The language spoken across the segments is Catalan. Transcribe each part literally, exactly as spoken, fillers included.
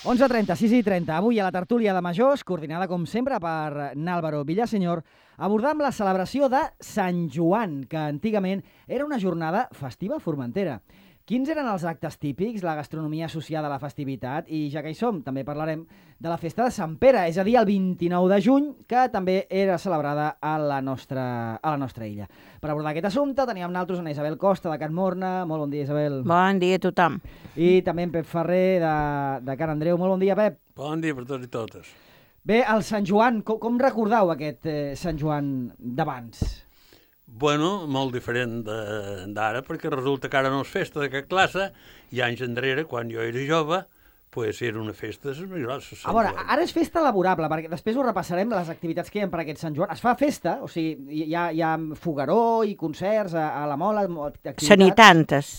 onze i trenta, sis i trenta. Avui a la tertúlia de majors, coordinada com sempre per N'Àlvaro Villasenyor, abordam la celebració de Sant Joan, que antigament era una jornada festiva a Formentera. Quins eren els actes típics, la gastronomia associada a la festivitat? I ja que hi som, també parlarem de la festa de Sant Pere, és a dir, el vint-i-nou de juny, que també era celebrada a la nostra, a la nostra illa. Per abordar aquest assumpte teníem amb nosaltres una Isabel Costa de Can Morna. Molt bon dia, Isabel. Bon dia a tothom. I també en Pep Ferrer de, de Can Andreu. Molt bon dia, Pep. Bon dia per tots i totes. Bé, el Sant Joan, com, com recordeu aquest eh, Sant Joan d'abans? Bueno, molt diferent d'ara, perquè resulta que ara no és festa de cap classe, i anys enrere, quan jo era jove, pues era una festa de més grosses. A veure, ara és festa laborable, perquè després ho repassarem, les activitats que hi ha per aquest Sant Joan. Es fa festa, o sigui, hi ha, hi ha fogueró i concerts a, a la mola, activitats... Sanit antes.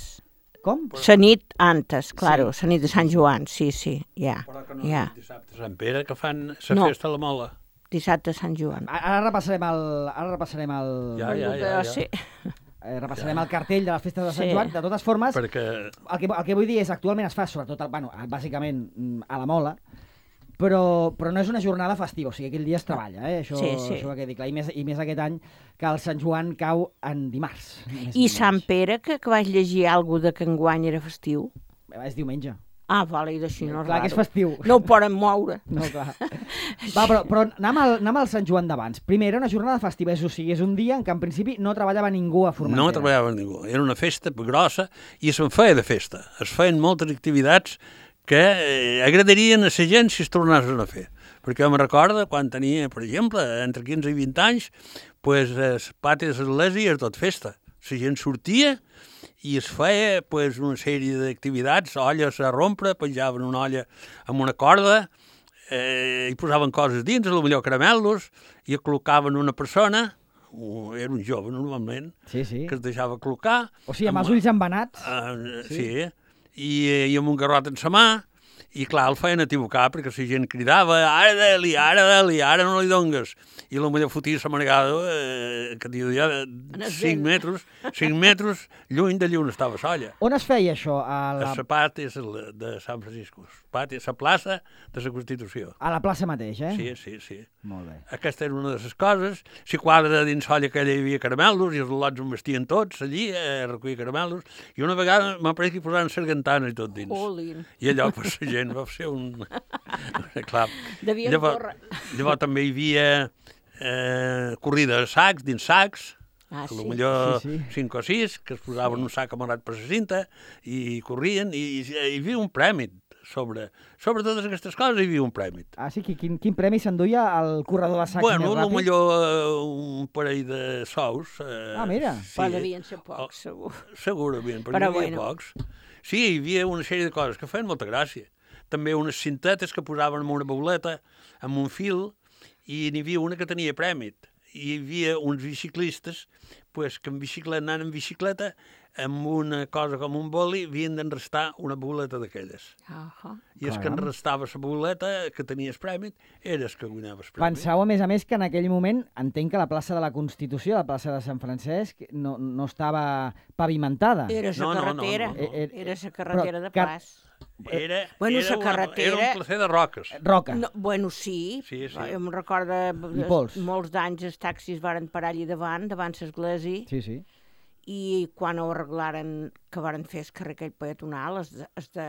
Com? Sanit antes, claro, Sí. sanit de Sant Joan, sí, sí, ja. Però que no Ja. és dissabte Sant Pere, que fan la No. festa a la mola. Dissabte Sant Joan. Ara repassarem el... Ara repassarem el... Ja, ja, ja. ja. Sí. Eh, repassarem el cartell de les festes de Sant Sí. Joan. De totes formes, Perquè el que, el que vull dir és actualment es fa sobretot, bueno, bàsicament mm, a la mola, però, però no és una jornada festiva, o sigui, aquell dia es treballa, eh? Això, Sí, sí. això va quedi clar. I més, I més aquest any que el Sant Joan cau en dimarts. ni més I ni Sant menys. Pere, que, que vaig llegir alguna de que enguany era festiu. És diumenge. Ah, vale, i d'així no és Clar que és raro. festiu. No ho poden moure. No, clar. Va, però, però anem, al, anem al Sant Joan d'abans. Primer, era una jornada festiva, és, o sigui, és un dia en què en principi no treballava ningú a Formentera. no treballava ningú. Era una festa grossa i se'n feia de festa. Es feien moltes activitats que eh, agradarien a la gent si es tornessin a fer. Perquè jo me recordo quan tenia, per exemple, entre quinze i vint anys, pues, els patis de l'església era tot festa. La gent sortia i es feia pues, una sèrie d'activitats, olles a rompre, penjaven una olla amb una corda, eh, i posaven coses dins, potser caramelos, i col·locaven una persona, o era un jove normalment, Sí, sí. que es deixava col·locar. O sigui, amb els ulls embenats. Uh, sí, sí. I, i amb un garrot en sa mà, i clar, el feien equivocar perquè la gent cridava ara de-li, ara de-li, ara no li dongues. I potser fotia la margada, eh, que diu ja, cinc metres, cinc metres lluny de llum estava l'olla. On es feia això? A A la, la pati de Sant Francisco, pati, a la plaça de la Constitució. a la plaça mateix, eh? Sí, sí, sí. Molt bé. Aquesta era una de les coses. Si quadra dins l'olla aquella hi havia caramelos i els lots en vestien tots allí a recollir caramelos. I una vegada m'apareix que posaven sargantana i tot dins. Jolín. I allò, pues, la gent va ser un... Clar. Devien Llavors, córrer. llavors també hi havia eh, corrida de sacs, dins sacs, Ah, a lo sí. millor Sí, sí. cinc o sis, que es posaven un sac amarat per la cinta i corrien, i, i hi havia un premi sobre, sobre totes aquestes coses, hi havia un premi. Ah, sí? Quin, quin premi s'enduia al corredor de sacs Bueno, més a lo ràpid? millor eh, un parell de sous. Eh, Ah, mira. Però devien ser pocs, segur. Segurament, perquè Però hi havia bueno. pocs. Sí, hi havia una sèrie de coses que feien molta gràcia. També unes cintetes que posaven en una bauleta, amb un fil, i n'hi havia una que tenia prèmit. I hi havia uns biciclistes pues, que en bicicleta, anant en bicicleta, amb una cosa com un boli, havien d'enrestar una boleta d'aquelles. Uh-huh. I el que Caram. enrestava la boleta, que tenies prèmit, era el que guanyava el prèmit. Penseu, a més a més, que en aquell moment, entenc que la plaça de la Constitució, la plaça de Sant Francesc, no, no estava pavimentada. Era la No, no, no, carretera, no, no. Eh, eh, era la carretera però de car- pas. Era, Bueno, era, la una- carretera- era un placer de roques. Roca. No, bueno, sí, Sí, sí. jo em recordo I pols. molts d'anys els taxis varen parar allà davant, davant l'església, Sí, sí. i quan ho arreglaren, que varen fer el carrer aquell peatonal, el, de, el, de,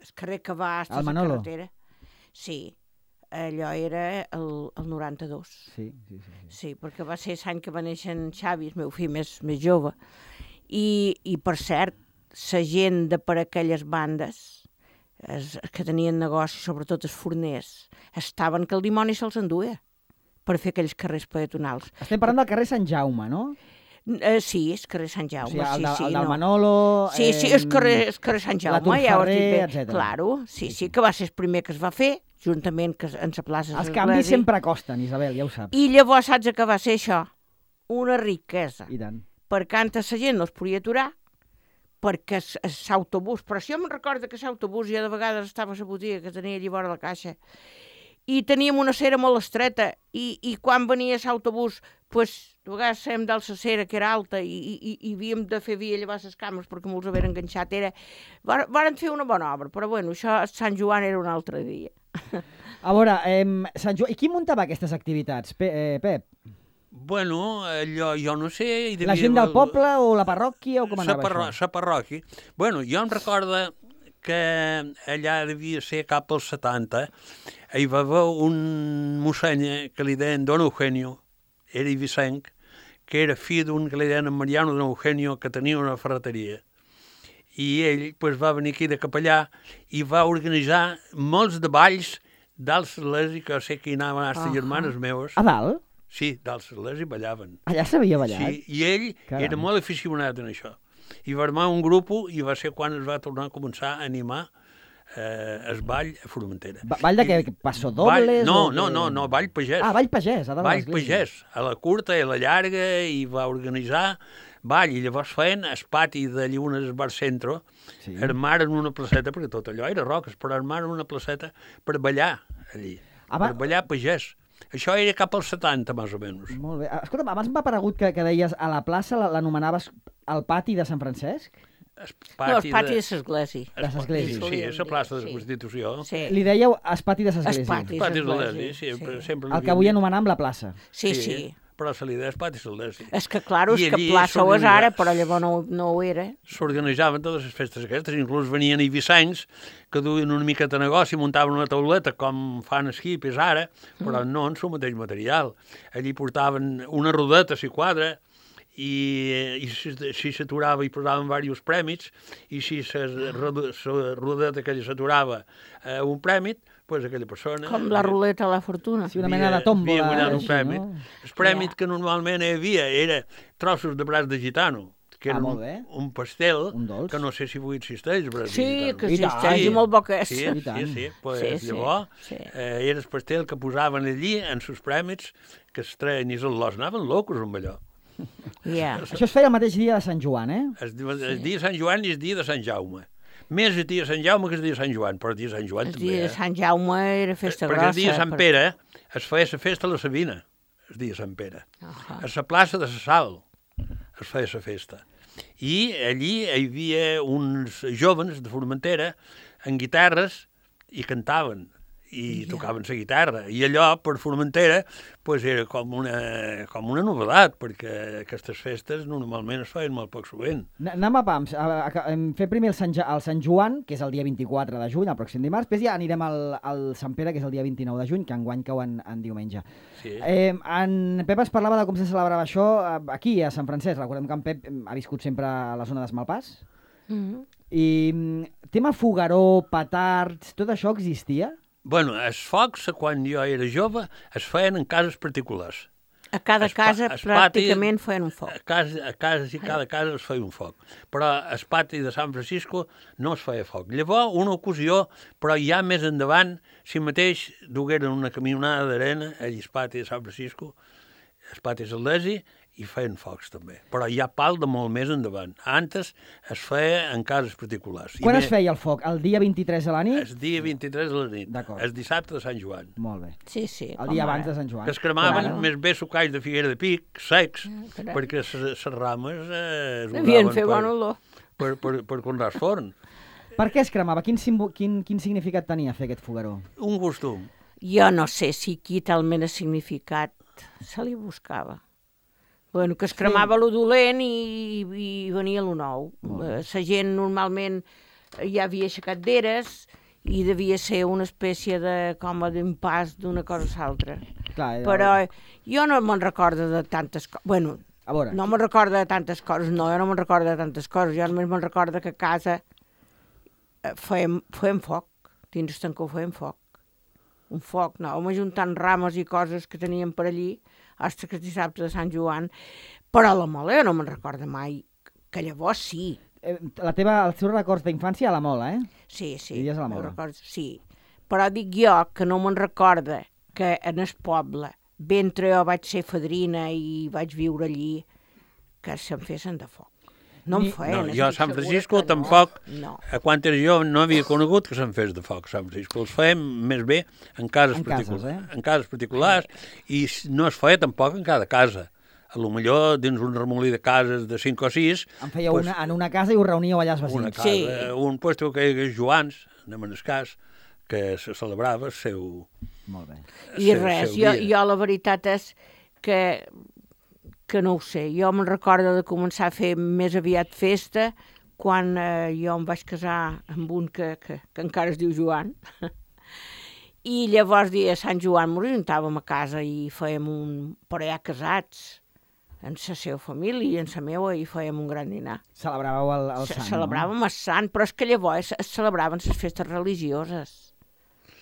el carrer que va fins El a la Manolo. carretera, sí, allò era el, el noranta-dos. Sí, sí, sí, sí. Sí, perquè va ser l'any que va néixer en Xavi, el meu fill més, més jove. I, I, per cert, la gent de per aquelles bandes, els, els que tenien negoci, sobretot els forners, estaven que el dimoni se'ls enduia per fer aquells carrers peatonals. Estem parlant del carrer Sant Jaume, no? Eh, sí, és carrer Sant O Jaume, sigui, el, sí, de, sí. el del no. Manolo... Sí, sí, és carrer, és carrer Sant la Jaume, ja ho has dit Turferrer, bé. etcètera. Claro, sí, sí, que va ser el primer que es va fer, juntament que en la plaça Els de canvis l'Església. sempre costen, Isabel, ja ho saps. I llavors saps què va ser això? Una riquesa. I tant. perquè antes la gent no es podia aturar, perquè l'autobús, però si jo me'n recordo que l'autobús ja de vegades estava a la botiga que tenia allà vora la caixa, i teníem una cera molt estreta, i, i quan venia l'autobús, pues, de vegades fèiem dalt la cera, que era alta, i, i, i havíem de fer via llevar les cames perquè molts havien enganxat. Era... Varen fer una bona obra, però bueno, això a Sant Joan era un altre dia. A veure, eh, Sant Joan... i qui muntava aquestes activitats, Pe eh, Pep? Bueno, allò, jo no sé... Hi devia... La gent del poble o la parròquia o com anava parro... això? La parròquia. Bueno, jo em recordo que allà devia ser cap als setanta, hi va haver un mossèn que li deien Don Eugenio, era ibicenc, que era fill d'un que li deien Mariano Don Eugenio, que tenia una ferreteria. I ell pues, va venir aquí de capellà i va organitzar molts de balls d'alts l'església, que sé que hi anaven a les germanes meves. A dalt? Sí, d'alts l'església ballaven. Allà s'havia ballat? Sí, i ell Caram. era molt aficionat en això. I va armar un grup i va ser quan es va tornar a començar a animar eh, el ball a Formentera. Ba ball de què? Passo dobles? Ball, no, o no, que... no, no, ball pagès. Ah, ball pagès, a dalt Ball de l'església. pagès, a la curta i a la llarga, i va organitzar ball, i llavors feien el pati de Llunes al Bar Centro, sí. Armaren una placeta, perquè tot allò era roques, però armaren una placeta per ballar allí, ah, per ballar pagès. Això era cap als setanta, més o menys. Molt bé. Escolta'm, abans m'ha aparegut que, que deies a la plaça l'anomenaves el pati de Sant Francesc? El pati no, el pati de l'església. De l'església. Sí, és la plaça de la Constitució. Sí. Li dèieu el pati de l'església. El pati de l'església, sí. sí. Sempre el que avui anomenam la plaça. Sí, sí. sí. Però se li deia el pati de l'església. És que, clar, és que plaça ho és ara, però llavors no, no ho era. S'organitzaven totes les festes aquestes, inclús venien ibicencs que duien una miqueta de negoci, muntaven una tauleta com fan els hippies ara, però mm. no en el mateix material. Allí portaven una rodeta, si quadra, i, i si s'aturava hi posaven diversos prèmits, i si la rodeta aquella s'aturava a un prèmit, pues aquella persona... Com la ruleta a la fortuna. Sí, una mena de tòmbola. Havia guanyat un premi. No? El premi yeah. que normalment hi havia era trossos de braç de gitano, que era ah, un, un pastel, un que no sé si avui existeix, braç sí, de gitano. Que existeix, i molt bo que és. Sí, sí, sí. Pues, sí, llavors, sí. Eh, era el pastel que posaven allí en sus prèmits, que es treien i els los anaven locos amb allò. Yeah. Això es feia el mateix dia de Sant Joan, eh? El, el dia de Sant Joan i el dia de Sant Jaume. Més el dia de Sant Jaume que el dia de Sant Joan, però el dia de Sant Joan el també. El dia de Sant Jaume era festa Perquè grossa. Perquè el dia de Sant Pere es feia la festa a la Sabina, el dia de Sant Pere. Uh -huh. A la plaça de la Sal es feia la festa. I allí hi havia uns jovens de Formentera amb guitarres i cantaven i yeah. tocaven la guitarra. I allò, per Formentera, pues, era com una, com una novedat, perquè aquestes festes normalment es feien molt poc sovint. Anem a pams. A, a, a, fer primer el Sant, el Sant Joan, que és el dia vint-i-quatre de juny, el pròxim dimarts, després ja anirem al, al Sant Pere, que és el dia vint-i-nou de juny, que enguany cau en, en diumenge. Sí. Eh, en Pep ens parlava de com se celebrava això aquí, a Sant Francesc. Recordem que en Pep ha viscut sempre a la zona d'Esmalpàs. Mm-hmm. I tema fogueró, petards, tot això existia? Bueno, els focs, quan jo era jove, es feien en cases particulars. A cada es, casa es pràcticament pati, feien un foc. A casa, a casa i cada casa es feia un foc. Però al pati de Sant Francisco no es feia foc. Llavors, una ocasió, però ja més endavant, si mateix dugueren una camionada d'arena allà al pati de Sant Francisco, al pati de l'Església, i feien focs també. Però hi ha pal de molt més endavant. Antes es feia en cases particulars. Quan es feia el foc? El dia vint-i-tres de la nit? El dia vint-i-tres de la nit. El dissabte de Sant Joan. Molt bé. Sí, sí. El dia abans de Sant Joan. Que es cremaven Però... més bé sucalls de figuera de pic, secs, ah, perquè les rames eh, es usaven fer per, bon per, per, per conrar forn. Per què es cremava? Quin, quin, quin significat tenia fer aquest fogueró? Un costum. Jo no sé si aquí talment el significat se li buscava. Bueno, que es cremava sí. lo dolent i, i venia lo nou. La gent normalment ja havia aixecat d'eres i devia ser una espècie de com d'impàs d'una cosa a l'altra. Però jo no me'n recordo de tantes coses. Bueno, no me'n recordo de tantes coses. No, jo no me'n recordo de tantes coses. Jo només me'n recordo que a casa fèiem, fèiem foc. Dins el tancó fèiem foc. Un foc, no? Home, juntant rames i coses que teníem per allí hasta que dissabte de Sant Joan, però la mola jo no me'n recordo mai, que llavors sí. La teva, els teus records d'infància a la mola, eh? Sí, sí. Vivies a la mola. Records, sí. Però dic jo que no me'n recordo que en el poble, mentre jo vaig ser fadrina i vaig viure allí, que se'n fessin de foc. No Ni... en feien. No, jo a Sant estic Francisco segura que no. tampoc, No. a quan era jo no havia conegut que se'n fes de foc a Sant Francisco. Els fèiem més bé en cases, En cases, particulars, eh? en cases particulars i no es feia tampoc en cada casa. A lo millor dins un remolí de cases de cinc o sis... En fèieu pues, una, en una casa i us reuníeu allà els una vecins. casa, Sí. un puesto que és Joans, de Manescàs, que se celebrava el seu... Molt bé. I seu- res, seu jo, dia. jo la veritat és que, que no ho sé. Jo me'n recordo de començar a fer més aviat festa quan eh, jo em vaig casar amb un que, que, que encara es diu Joan. I llavors, dia de Sant Joan, ens juntàvem a casa i fèiem un... però ja casats, en la seva família i en la meva, i fèiem un gran dinar. Celebràveu el, el Ce- sant, Celebràvem el sant, però és que llavors es celebraven les festes religioses.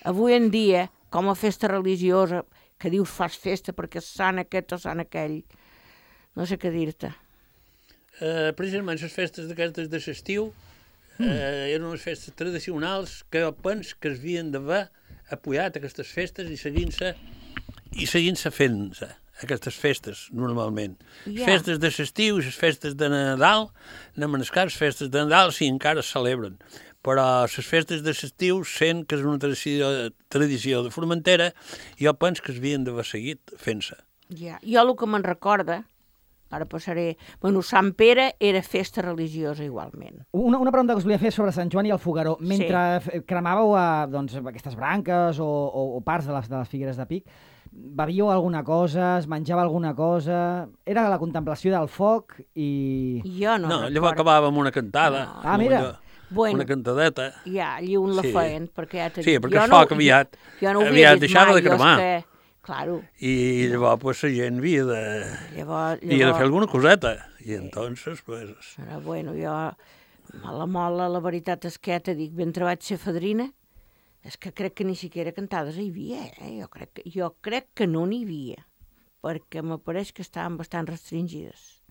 Avui en dia, com a festa religiosa, que dius fas festa perquè és sant aquest o sant aquell, no sé què dir-te. Eh, precisament les festes d'aquestes de l'estiu eh, eren unes festes tradicionals que jo penso que es havien d'haver apoyat aquestes festes i seguint-se i seguint-se fent-se aquestes festes, normalment. Ja. Festes de l'estiu i les festes de Nadal, no menescar les festes de Nadal si encara es celebren. Però les festes de l'estiu, sent que és una tradició, tradició de Formentera, jo penso que es havien d'haver seguit fent-se. Ja. Jo el que me'n recorda, ara passaré... Bueno, Sant Pere era festa religiosa igualment. Una, una pregunta que us volia fer sobre Sant Joan i el Fogueró. Mentre sí. cremàveu eh, doncs, aquestes branques o, o, o parts de les, de les figueres de Pic, bevíeu alguna cosa, es menjava alguna cosa... Era la contemplació del foc i... Jo no, No, recordo. llavors acabàvem una cantada. No. Ah, mira. Allò, Bueno, una cantadeta. ja, allí un la Sí. feien, perquè ja t'he Sí, dit. perquè Jo el no- foc aviat- jo no ho havia aviat vist deixava mai, de cremar. jo és que, claro, I llavors pues, la gent havia de, llavors, havia de fer llavors alguna coseta. I entonces, pues... Però, bueno, jo, a la mola, la veritat és que ja t'he dit, mentre vaig ser fadrina, és que crec que ni siquiera cantades hi havia, eh? Jo crec que, jo crec que no n'hi havia, perquè m'apareix que estaven bastant restringides,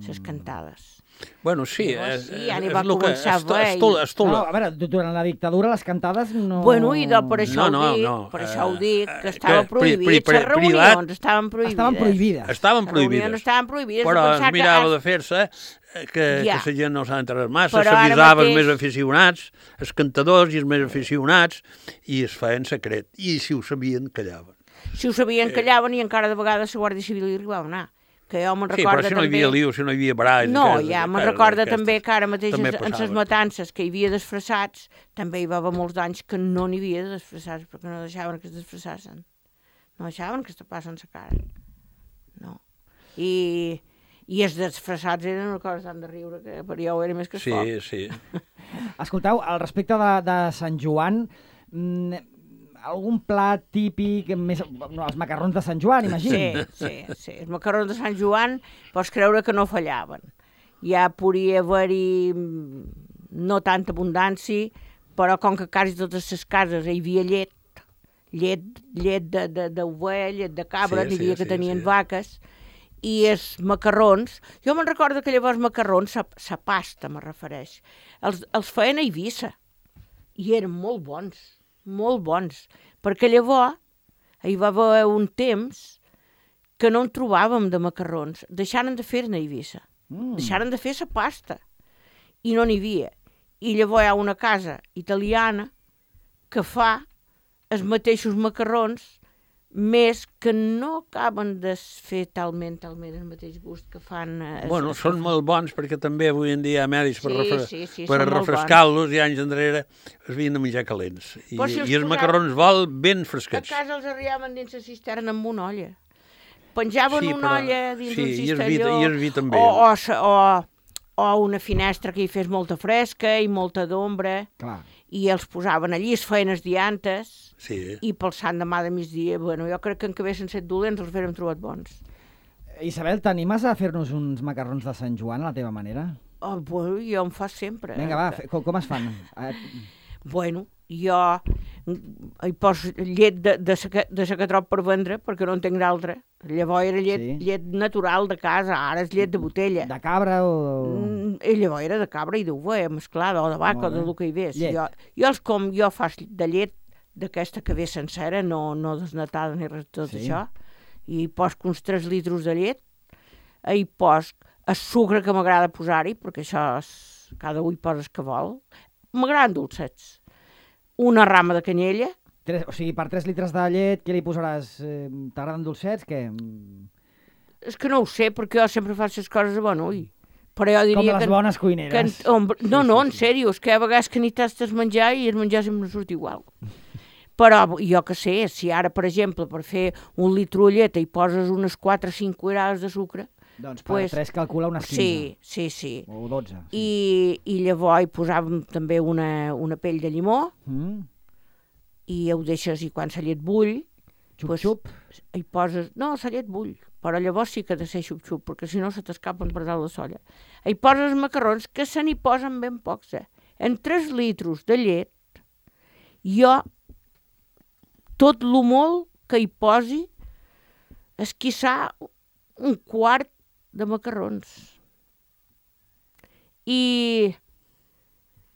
les cantades. Bueno, sí, Llavors, és, sí, ja n'hi és va el que començar a esto- haver i- estola, estola. No, a veure, du- durant la dictadura les cantades no... Bueno, i de, per això No, ho no, dic, no, per eh, això ho dic, que eh, estava que pri- prohibit, pri- pri- les reunions privat- estaven prohibides. Estaven prohibides. Estaven Les reunions prohibides. estaven prohibides. Però de es pensar mirava que... de fer-se eh, que, Ja. que la gent no s'ha enterrat massa, Però ara s'avisava els mateix- més aficionats, els cantadors i els més aficionats, i es feien secret. I si ho sabien, callaven. Si ho sabien, callaven i encara de vegades la Guàrdia Civil hi arribava a anar. Que jo me'n Sí, recorda però si no hi també... havia liu, si no hi havia baralls... No, aquestes- ja me'n aquestes- recorda aquestes també que ara mateix també en les passaven. matances que hi havia disfressats, també hi va haver molts anys que no n'hi havia de disfressats, perquè no deixaven que es disfressassin. No deixaven que es tapassen la cara. No. I, i els disfressats eren una cosa tan de riure que per jo era més que el Sí, foc. sí. Escolteu, al respecte de, de Sant Joan, mm, algun plat típic, més, no, els macarrons de Sant Joan, imagino. Sí, sí, sí. Els macarrons de Sant Joan pots creure que no fallaven. Ja podria haver-hi mm, no tanta abundància, però com que quasi totes les cases hi havia llet, llet, llet d'ovella, llet de cabra, Sí, n'hi havia sí, que sí, tenien sí. vaques, i els macarrons, jo me'n recordo que llavors macarrons, la pasta me refereix, els, els feien a Eivissa, i eren molt bons, molt bons, perquè llavors hi va haver un temps que no en trobàvem de macarrons, deixaren de fer-ne a Eivissa, Mm. deixaren de fer la pasta, i no n'hi havia. I llavors hi ha una casa italiana que fa els mateixos macarrons, més que no acaben de fer talment, talment el mateix gust que fan... Eh, Bueno, es- són molt bons perquè també avui en dia hi ha medis per, Sí, refre... sí, sí, per són molt refrescar-los i anys enrere es havien de menjar calents. I, Però si els i els posaven- macarrons vol ben A fresquets. casa els arribaven dins la cisterna amb una olla. Penjaven Sí, una però- olla dins sí, un i es cistelló, vi- i es vi també. o, o, sa- o, o una finestra que hi fes molta fresca i molta d'ombra, Clar. i els posaven allí, es feien els diantes, Sí. i pel sant demà de migdia, bueno, jo crec que en que haguessin set dolents els haguérem trobat bons. Isabel, t'animes a fer-nos uns macarrons de Sant Joan a la teva manera? Oh, bueno, jo em fa sempre. Vinga, eh, va, que- fe, com, com es fan? Eh, Bueno, jo hi poso llet de, de, saca, de sacatrop per vendre, perquè no en tinc d'altra. Llavors era llet, Sí. llet natural de casa, ara és llet de botella. de cabra o... Mm, I llavors era de cabra i d'ovella mesclada, o de vaca, o Molt de bé. lo que hi ves. Llet. Jo, jo els com, jo faig de llet d'aquesta que ve sencera, no, no desnatada ni res de tot Sí. això, i hi poso uns tres litres de llet, hi poso el sucre que m'agrada posar-hi, perquè això és, cada un hi posa el que vol. M'agraden dolcets. Una rama de canyella. Tres, o sigui, per tres litres de llet, què li posaràs? Eh, T'agraden dolcets? Què? És que no ho sé, perquè jo sempre faig les coses a bon ull. Però jo diria Com les que... bones cuineres. Que, on, no, no, en sèrio, és que a vegades que ni tastes menjar i el menjar sempre no surt igual. Però jo que sé, si ara, per exemple, per fer un litre de llet hi poses unes quatre o cinc cuirades de sucre... Doncs per pues, tres calcula unes quinze. Sí, sí, sí. O dotze. Sí. I, I llavors hi posàvem també una, una pell de llimó Mm. i ho deixes, i quan la llet bull... Xup-xup. Pues, hi poses... No, la llet bull, però llavors sí que ha de ser xup-xup, perquè si no se t'escapen per dalt la solla. Hi poses macarrons, que se n'hi posen ben pocs, eh? En tres litros de llet, jo, tot lo molt que hi posi, esquissar un quart de macarrons. I,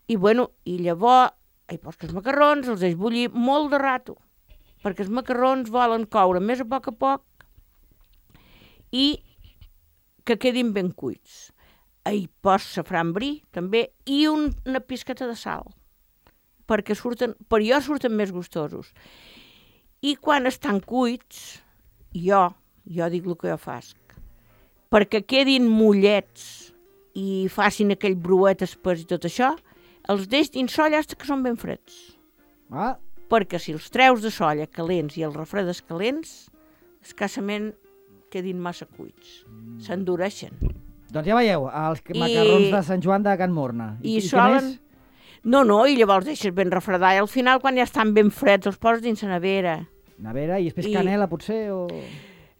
i bueno, i llavors hi poses els macarrons, els deixes bullir molt de rato, perquè els macarrons volen coure més a poc a poc i que quedin ben cuits. Hi poses safran bri, també, i un, una pisqueta de sal, perquè surten, per jo surten més gustosos. I quan estan cuits, jo, jo dic el que jo faig, perquè quedin mollets i facin aquell bruet espès i tot això, els deix dins solla fins que són ben freds. Ah, Perquè si els treus de solla calents i els refredes calents, escassament quedin massa cuits. S'endureixen. doncs ja veieu, els I- macarrons de Sant Joan de Can Morna. I, què solen... més? No, no, i llavors deixes ben refredar i al final, quan ja estan ben freds, els poses dins la nevera. Nevera i després I- canela, potser, o...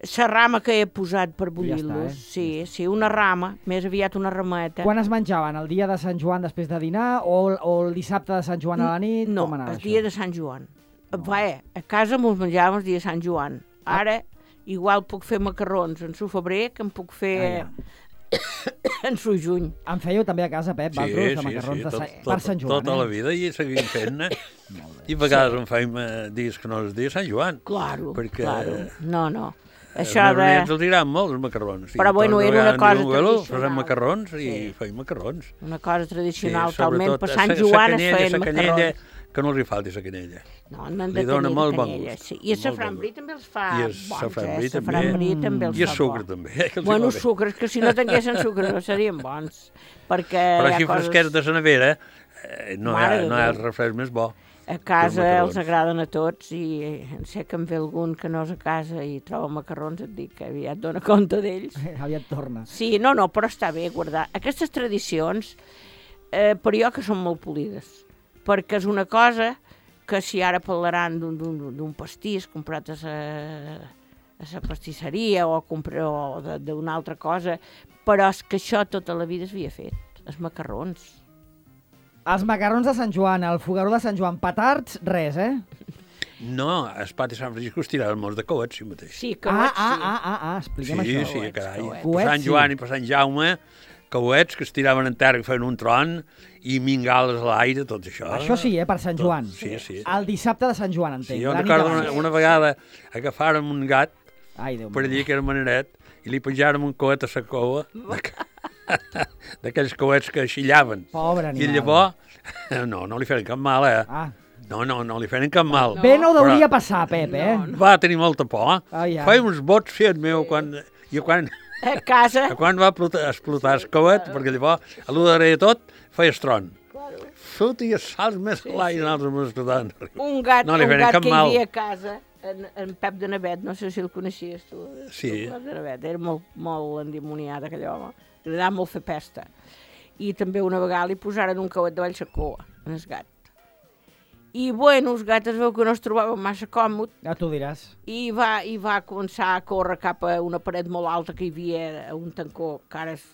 La rama que he posat per Ja bullir-los, està, eh? sí, sí, una rama, més aviat una rameta. Quan es menjaven? El dia de Sant Joan després de dinar o, el- o el dissabte de Sant Joan a la nit? No, Com anava el això? dia de Sant Joan. Va, a casa mos menjàvem el dia de Sant Joan. Ara, igual puc fer macarrons en su febrer que en puc fer Ah, en su juny. En fèieu també a casa, Pep, vosaltres, de macarrons de tot, Sant... tot, per Sant Joan, tota eh? la vida i seguim fent-ne. I a vegades en fem eh, dies que no és dia de Sant Joan. Claro, Perquè, claro. No, no. Eh, Això els de... nens els diran molt, els macarrons. Però, bueno, era una cosa tradicional. Fem macarrons i Sí. fem macarrons. Una cosa tradicional, Sí, talment, sobretot, per Sant sa- Joan sa es canyella, feien sa canyella, macarrons. que no els hi falti la canyella. No, no han Li de dona tenir molt bon canyella, gust. sí. I el Molt safran bon bri gust. també els fa I el bons, safran eh? bri El safran també. bri també els I el fa sucre bo. també. eh, que els hi Bueno, va bé. sucres, que si no tinguessin sucre no serien bons. Perquè Però hi ha així coses... fresquets de la nevera, eh, no, hi Mare ha, de no hi ha Déu. el refresc més bo. A casa macarrons. els agraden a tots i en sé que en ve algun que no és a casa i troba macarrons, et dic que aviat dona compte d'ells. Aviat torna. Sí, no, no, però està bé guardar. Aquestes tradicions, eh, per jo que són molt polides, perquè és una cosa que si ara parlaran d'un- d'un d'un pastís comprat a la, a la pastisseria o, compra, o de- d'una altra cosa, però és que això tota la vida s'havia fet, els macarrons. Els macarrons de Sant Joan, el fogaró de Sant Joan, petards, res, eh? No, el pati Sant Francisco es tiraven molts de coets, sí mateix. Sí, que Ah, sí. ah, ah, ah, ah, expliquem sí, això. sí, Coets, carai. coets. Per Sant Coets, Joan sí. i per Sant Jaume, coets que es tiraven en terra, que feien un tron, i mingales a l'aire, tot això. Això sí, eh, per Sant Joan. Sí, sí. El dissabte de Sant Joan, entenc. Sí, jo la nit recordo abans. una, una vegada agafàrem un gat Ai, Déu per meu. allí, que era maneret, i li penjàrem un coet a la cova, d'aquells coets que xillaven. Pobre I animal. llavors, no, no li feien cap mal, eh? Ah. No, no, no li feien cap mal. Bé no hauria Però- passar, Pep, eh? Va tenir molta por. Ai, ai. Feia uns bots, fiat meu, quan, i quan, A casa, quan va explotar, explotar el coet, perquè llavors, a l'u darrere de tot, feia estron. Fotia salts més a l'aire, nosaltres ens explotaven. un gat, No li un feien gat cap que hi mal. havia a casa, en, en Pep de Navet, no sé si el coneixies tu. Sí. El Pep de Navet, era molt, molt endimoniat aquell home, li agradava molt fer pesta. I també una vegada li posaren un cauet de vall a coa, en el gat. I bueno, el gat es veu que no es trobava massa còmode Ja t'ho diràs. i va, i va començar a córrer cap a una paret molt alta que hi havia, a un tancó, que ara és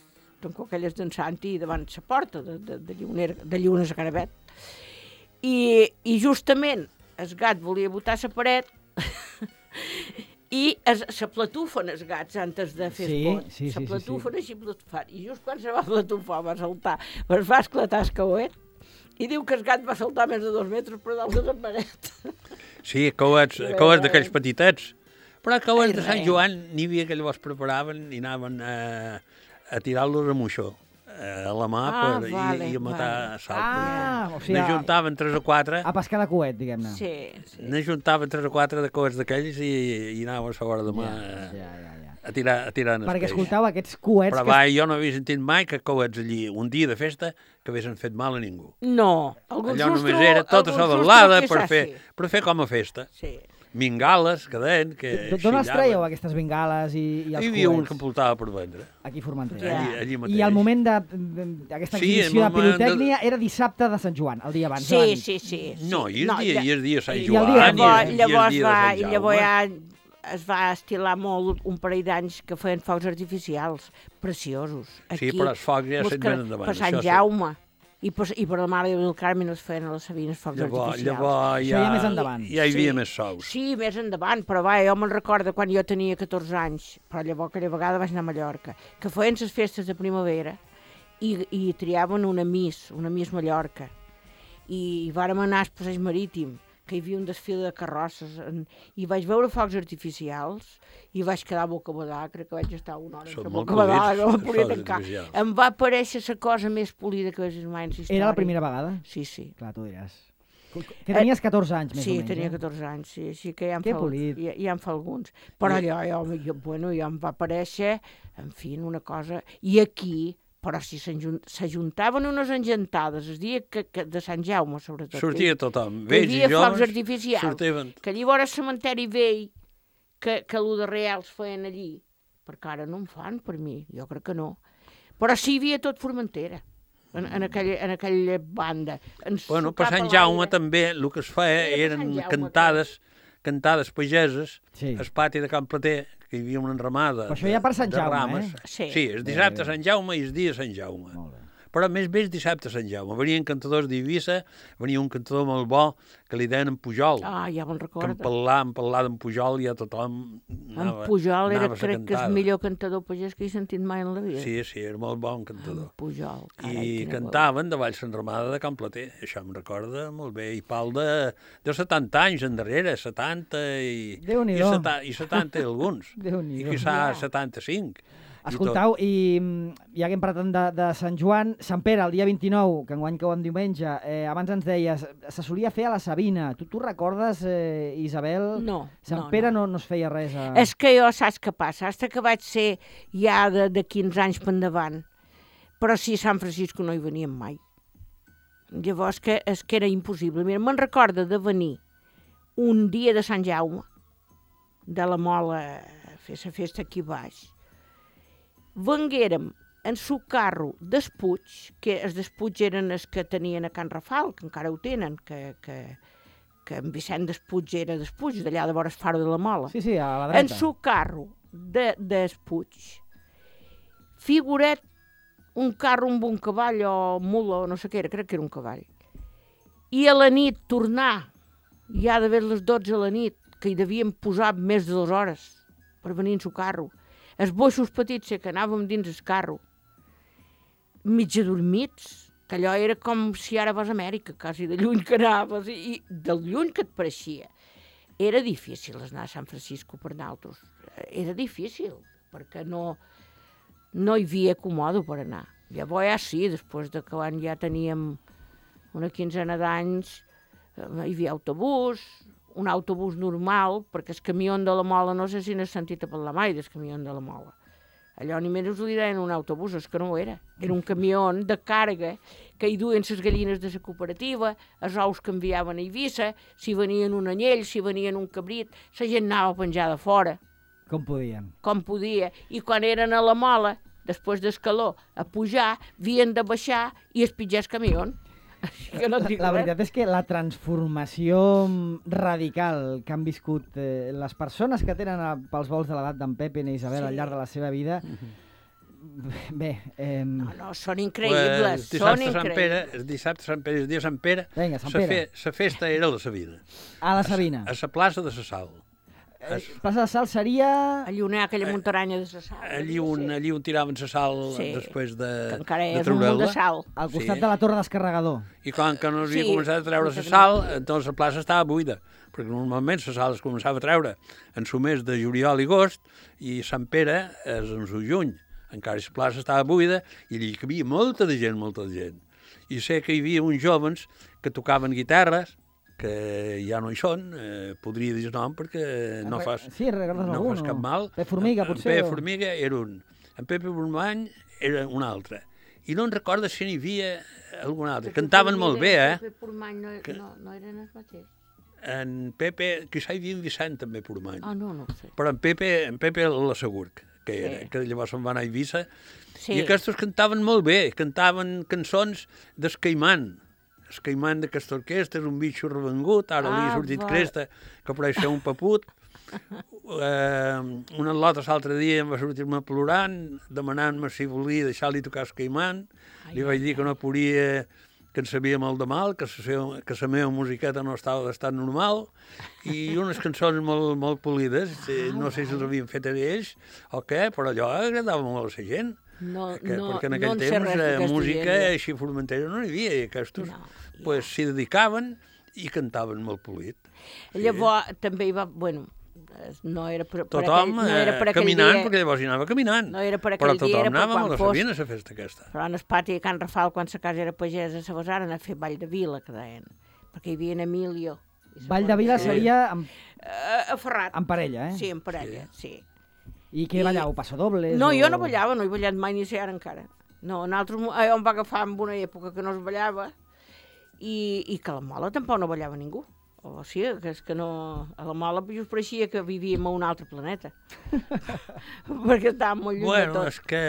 tancó aquelles d'en Santi, davant la porta de, de, de, Llioner, de Llunes a Caravet. I, I justament el gat volia botar la paret i es, se platufen els gats antes de fer Sí, esport. sí, sí, se sí, platufen així platufant. I just quan se va platufar va saltar, es va esclatar el cauet i diu que el gat va saltar més de dos metres per dalt de la paret. Sí, coets, Bé. coets d'aquells petitets. Però coets Ai, de Sant res. Joan n'hi havia que llavors preparaven i anaven a, a tirar-los a moixó, a la mà, Ah, per, vale, i, i a matar vale. salpes. Ah, o sigui, N'ajuntaven tres o quatre, a pescar de coet, diguem-ne. Sí, sí. n'ajuntaven tres o quatre de coets d'aquells i, i anava a l'hora de mà Ja, ja, ja, ja. a tirar, a tirar en el Perquè, peix. escoltau, aquests coets... Però que... va, jo no havia sentit mai que coets allí, un dia de festa, que haguessin fet mal a ningú. No, algun Allò sustro... només era tota algun sabalada sustro per fer, quizás sí. per fer com a festa. Sí. Mingales, que deien, que D'on els xillaven. traieu, aquestes bengales i, i els Hi havia un coets? que em portava per vendre. Aquí a Formentera. Ja. Allí, allí mateix. I el moment d'aquesta Sí, exhibició el de moment pirotècnia era dissabte de Sant Joan, el dia abans. Sí, de la nit. sí, sí, sí. No, i el dia, ja- i el dia de Sant I el Joan, dia- i Llavors, el, llavors, i el dia va, de i Sant llavors Jaume. ja es va estilar molt un parell d'anys que feien focs artificials preciosos. Aquí, Sí, però els focs ja mos se'n que- venen endavant. Per Sant això sí. Jaume. I per, I per la Mare del Carme es feien a les Sabines focs Llavors, artificials. llavors Això ja, ja més endavant. ja hi havia Sí. més sous. Sí, més endavant, però va, jo me'n recordo quan jo tenia catorze anys, però llavors aquella vegada vaig anar a Mallorca, que feien les festes de primavera i, i triaven una Miss, una Miss Mallorca. I, i vàrem anar al passeig marítim, que hi havia un desfile de carrosses, en, i vaig veure focs artificials i vaig quedar bocabadà, crec que vaig estar una hora Són entre molt bocabadà, polits, que em els podia focs tancar. artificials. Em va aparèixer la cosa més polida que vaig vist mai en la història. Era la primera vegada? Sí, sí. Clar, tu diràs. Que tenies catorze anys, més Sí, o menys. tenia eh? catorze anys, sí, sí que ja em, Que fa, polit. ja, ja em fa alguns. Però allò, jo, jo, bueno, ja em va aparèixer, en fi, una cosa... I aquí, però si s'ajun- s'ajuntaven unes engentades, el dia que, que, de Sant Jaume, sobretot. Sortia tothom, que hi vells i havia focs joves, artificials, sortiven. que llavors el cementeri vell, que, que el de Reals feien allí, perquè ara no en fan per mi, jo crec que no. Però sí hi havia tot Formentera, en, en, aquella, en aquella banda. Ens Bueno, per sucava Sant Jaume l'aire. també el que es feia Era per eren Sant Jaume, cantades, cantades pageses, Sí. al pati de Can Plater, que hi havia una enramada Però això ja per Sant de Jaume, rames. eh? Sí. Sí, el dissabte a Sant Jaume i el dia de Sant Jaume. Molt bé. Però més bé el dissabte a Sant Jaume. Venien cantadors d'Eivissa, venia un cantador molt bo que li deien en Pujol. Ah, ja me'n que en recordo. parlar, en parlar d'en Pujol ja tothom En anava, Pujol era, anava a crec que, cantada. el millor cantador pagès que he sentit mai en la vida. Sí, sí, era molt bon cantador. En Pujol, carai, I quina cantaven davall l'enramada de Can Plater, això em recorda molt bé, i pal de, de setanta anys endarrere, setanta i, i, Déu-n'hi-do. seta, i setanta i alguns, i Déu-n'hi-do. quizà Ja. setanta-cinc. Escoltau, i mm, ja que hem parlat de, de Sant Joan, Sant Pere, el dia vint-i-nou, que enguany cau en diumenge, eh, abans ens deies, se solia fer a la Sabina. Tu, tu recordes, eh, Isabel? No, Sant no, Pere no. no. no es feia res a... És que jo saps què passa? Hasta que vaig ser ja de, de quinze anys per endavant, però sí a Sant Francisco no hi veníem mai. Llavors que, és que era impossible. Mira, me'n recorda de venir un dia de Sant Jaume, de la Mola, a fer la festa aquí baix. Venguérem en su carro d'Espuig, que els d'Espuig eren els que tenien a Can Rafal, que encara ho tenen, que, que, que en Vicent d'Espuig era d'Espuig, d'allà de vora el Faro de la Mola. Sí, sí, a la En dreta. su carro de, d'Espuig, figuret un carro amb un cavall o mula o no sé què era, crec que era un cavall. I a la nit tornar, ja d'haver les dotze a la nit, que hi devien posar més de dues hores per venir en su carro. Els boixos petits que anàvem dins el carro, mig adormits, que allò era com si ara vas a Amèrica, quasi de lluny que anaves, i, i del lluny que et pareixia. Era difícil anar a Sant Francisco per nosaltres. Era difícil, perquè no, no hi havia acomodo per anar. Llavors ja sí, després de que quan ja teníem una quinzena d'anys, eh, hi havia autobús, un autobús normal, perquè el camió de la Mola, no sé si n'has sentit a parlar mai del camió de la Mola. Allò ni menys li deien un autobús, és que no ho era. Era un camió de càrrega que hi duien les gallines de la cooperativa, els ous que enviaven a Eivissa, si venien un anyell, si venien un cabrit, la gent anava penjada fora, Com podien. com podia. I quan eren a la Mola, després d'escaló, a pujar, havien de baixar i es pitjar el camió. Així que no et La, dic la res. veritat és que la transformació radical que han viscut eh, les persones que tenen a, pels vols de l'edat d'en Pepe i Isabel Sí. al llarg de la seva vida, bé, eh, No, no, són Pues, increïbles, el són dissabte a Sant Pere, increïbles. el dissabte a Sant Pere, el dia de Sant Pere, Vinga, Sant sa Pere. fe, sa festa era a la Sabina, a la Sabina. a la plaça de la Sal. Eh, plaça de Sal seria... Allí on hi ha aquella muntaranya de la sal. Allí on, allí on tiraven la sal Sí. després de, Que encara de és un munt de treure-la. sal. al costat Sí. de la torre descarregador. I quan que no s'havia Sí, començat a treure la exactament. sal, doncs la plaça estava buida, perquè normalment la sal es començava a treure en su mes de juliol i agost, i Sant Pere és en su juny, encara la plaça estava buida, i allí hi havia molta de gent, molta de gent. I sé que hi havia uns jovens que tocaven guitarres, que ja no hi són, eh, podria dir el nom perquè no fas, sí, recordes no algun, fas o... cap mal. Pep Formiga, en, potser? En Pep o... Formiga era un, en Pepe Bromany era un altre. I no en recordo si n'hi havia algun altre. Cantaven molt bé, eh? Pepe Formany no, no, no eren els mateixos. En Pepe, que hi havia en Vicent també Formany. Ah, no, no ho sé. Però en Pepe, en Pepe l'assegur que era, Sí. que llavors se'n va anar a Eivissa. Sí. I aquests cantaven molt bé, cantaven cançons d'Escaimant. Escaimant d'aquesta orquestra, és un bitxo revengut, ara Ah, li ha sortit va. cresta, que pareix ser un paput. eh, un altre l'altre dia em va sortir-me plorant, demanant-me si volia deixar-li tocar Escaimant. Li vaig dir que no podia, que en sabia molt de mal, que la seva, que la meva musiqueta no estava d'estat normal, i unes cançons molt, molt polides, eh, no sé si les havien fet a ells o què, però allò agradava molt a la gent. No, Que, no, perquè en no aquell en sé temps res eh, d'aquesta música gent, jo. així formentera no n'hi havia, i aquests No, pues, s'hi dedicaven i cantaven molt polit. Llavors també hi va, bueno, no era per, per Tothom aquell, no era per eh, aquell caminant, dia, perquè llavors hi anava caminant. No era per però aquell dia, tothom era per anava quan a la fos. Sabina a la festa aquesta. però en el pati de Can Rafal, quan sa casa era pagesa, se basaren a fer ball de vila, que deien, perquè hi havia en Emilio. I Ball de Vila sí. seria amb, Uh, a Ferrat. amb parella, eh? Sí, en parella, sí. I què I- balleu? Passadobles? No, o... jo no ballava, no he ballat mai ni sé ara encara. No, nosaltres eh, em va agafar en una època que no es ballava i, i que a la Mola tampoc no ballava ningú. O sigui, que és que no... A la Mola just pareixia que vivíem a un altre planeta. Perquè estàvem molt lluny Bueno, de tot. és que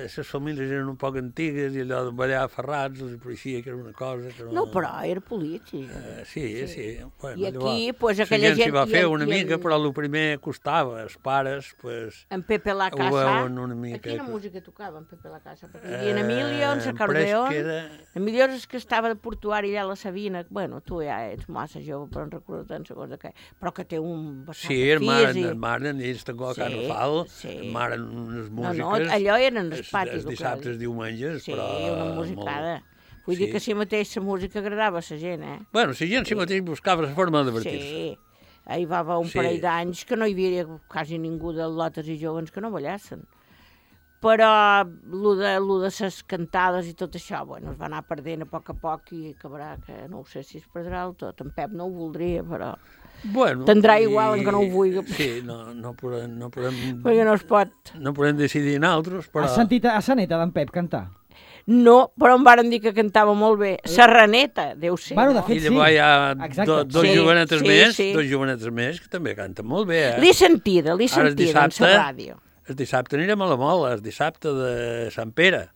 les famílies eren un poc antigues i allò de ballar a Ferrats els pareixia que era una cosa que no... No, però era polític. Eh, sí, sí. sí. Bueno, I aquí, llavors, pues, la aquella gent s'hi gent- va i fer en- una i mica, en- però el primer costava. Els pares, pues, En Pepe la ho Casa... veuen una mica. Quina música tocava en Pepe la Casa? Perquè hi havia en Emilio, en Eh, Sacardeón... pareix que era- Emilio és que estava de portuari allà a la Sabina. Bueno, tu ja ets massa jove, però en recordo tant segons de què. Però que té un vessant Sí, el maren, físic. el maren, ells també a Can Sí, Rafal, sí. el maren unes No, músiques... no, allò eren els els- patis. Els dissabtes, els diumenges, Sí, però... una musicada. Vull Sí. dir que si mateix la música agradava a la gent, eh? Bueno, la gent si mateix buscava la forma de divertir-se. Sí. Hi va haver un Sí. parell d'anys que no hi havia quasi ningú de lotes i joves que no ballassen. Però lo de, lo de ses cantades i tot això, bueno, es va anar perdent a poc a poc i acabarà que no ho sé si es perdrà el tot. En Pep no ho voldria, però... Bueno, Tindrà igual en que no ho vulgui. Sí, no, no podem, no podem, Perquè no es pot. no podem decidir nosaltres, però... Has sentit a sa neta d'en Pep cantar? No, però em varen dir que cantava molt bé. Serraneta, deu ser. Bueno, de no? fet, I llavors hi ha Exacte. do, dos Sí, jovenetes sí, més, sí. dos jovenetes més que també canten molt bé, eh? L'he sentida, l'he Ara el sentida en dissabte- la ràdio. El dissabte anirem a la Mola, el dissabte de Sant Pere.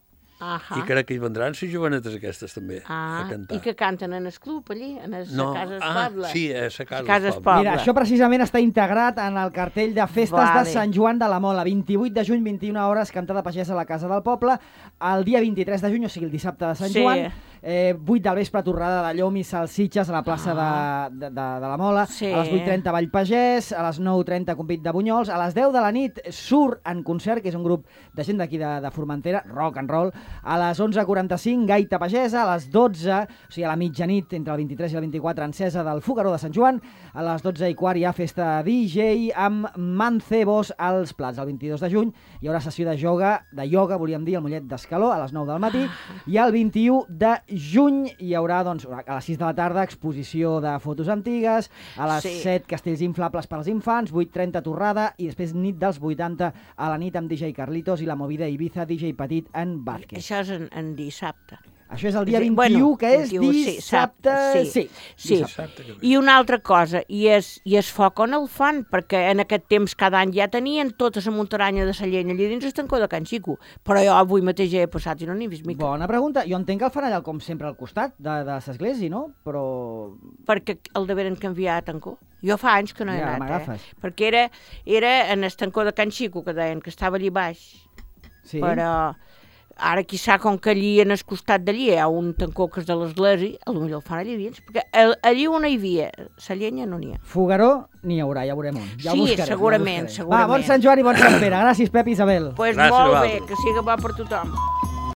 Ahà. I crec que hi vendran les jovenetes aquestes també Ah, a cantar. i que canten en el club allí, en la no. casa del ah, poble. sí, a la casa, Casa del del poble. poble. Mira, això precisament està integrat en el cartell de festes Vale. de Sant Joan de la Mola. vint-i-vuit de juny, vint i una hores, cantada pagesa a la Casa del Poble. El dia vint-i-tres de juny, o sigui, el dissabte de Sant Sí. Joan, eh, vuit del vespre, torrada de llom i salsitxes a la plaça Ah. de, de, de, de la Mola. Sí. A les vuit trenta, Ball Pagès. A les nou trenta, Convit de Bunyols. A les deu de la nit, Sur en concert, que és un grup de gent d'aquí de, de Formentera, rock and roll. A les onze quaranta-cinc, Gaita Pagesa. A les dotze, o sigui, a la mitjanit, entre el vint-i-tres i el vint-i-quatre, encesa del Fogaró de Sant Joan. A les dotze i quart hi ha festa D J amb mancebos als plats. El vint-i-dos de juny hi haurà sessió de yoga, de ioga, volíem dir, al Mollet d'Escaló, a les nou del matí. I el vint-i-u de juny hi haurà, doncs, a les sis de la tarda, exposició de fotos antigues, a les Sí. set castells inflables per als infants, vuit trenta torrada i després nit dels vuitanta a la nit amb D J Carlitos i la movida Ibiza D J Petit en Vázquez. Això és en, en dissabte. Això és el dia Sí, vint-i-u, bueno, que és vint-i-u, sí, dissabte. sap- sí. Sí. Dissabte que ve. I una altra cosa, i és, i és foc on el fan, perquè en aquest temps cada any ja tenien tota la muntaranya de Sallent allà dins el tancó de Can Xico, però jo avui mateix ja he passat i no n'he vist mica. Bona pregunta. Jo entenc que el fan allà, com sempre, al costat de, de l'església, no? Però... Perquè el deveren canviar a tancó. Jo fa anys que no he Ja, anat, m'agafes. eh? Perquè era, era en el tancó de Can Xico, que deien que estava allà baix, Sí. però ara quizà com que allí en el costat d'allí hi ha un tancó que és de l'església, potser el fan allà dins, perquè el, allí on hi havia, la llenya no n'hi ha. Fogaró n'hi haurà, ja veurem on. Ja ho Sí, buscarem, segurament, ja ho buscarem. segurament. Va, bon Sant Joan i bon Sant Pere. Gràcies, Pep i Isabel. Doncs pues Gràcies a molt bé, vosaltres. que siga bo per tothom.